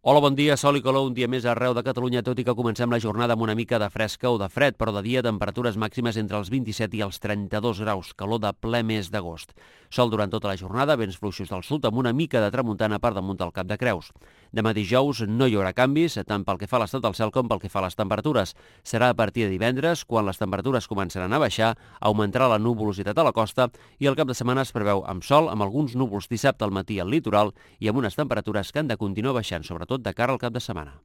Hola, bon dia, sol i calor un dia més arreu de Catalunya, tot i que comencem la jornada amb una mica de fresca o de fred, però de dia temperatures màximes entre els 27 i els 32 graus, calor de ple mes d'agost. Sol durant tota la jornada, vents fluixos del sud amb una mica de tramuntana per damunt del Cap de Creus. Demà dijous no hi haurà canvis, tant pel que fa a l'estat del cel com pel que fa a les temperatures. Serà a partir de divendres, quan les temperatures començaran a baixar, augmentarà la nuvolositat a la costa i el cap de setmana es preveu amb sol, amb alguns núvols dissabte al matí al litoral i amb unes temperatures que han de continuar baixant, sobretot de cara al cap de setmana.